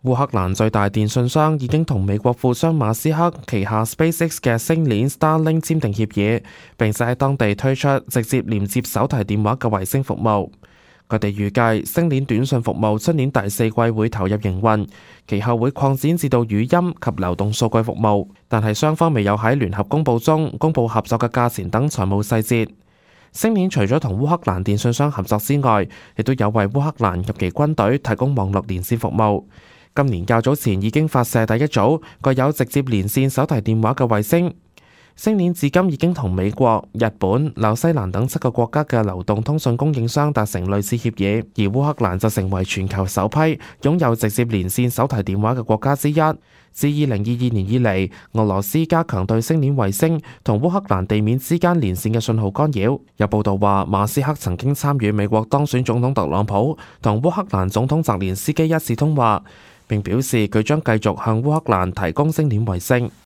烏克蘭最大電信商已經同美國富商馬斯克旗下 SpaceX 嘅星鏈 Starlink 簽訂協議，並且喺當地推出直接連接手提電話嘅衛星服務。佢哋預計星鏈短信服務出年第四季會投入營運，其後會擴展至到語音及流動數據服務，但係雙方未有喺聯合公佈中公佈合作嘅價錢等財務細節。星鏈除咗同烏克蘭電信商合作之外，亦都有為烏克蘭及其軍隊提供網絡連線服務。今年較早前已經發射第一組具有直接連線手提電話嘅衛星。星鏈至今已經同美國、日本、紐西蘭等7個國家嘅流動通訊供應商達成類似協議，而烏克蘭就成為全球首批擁有直接連線手提電話嘅國家之一。自2022年以嚟，俄羅斯加強對星鏈衛星同烏克蘭地面之間連線嘅信號干擾。有報道話，馬斯克曾經參與美國當選總統特朗普同烏克蘭總統澤連斯基一次通話，並表示佢將繼續向烏克蘭提供星鏈衛星。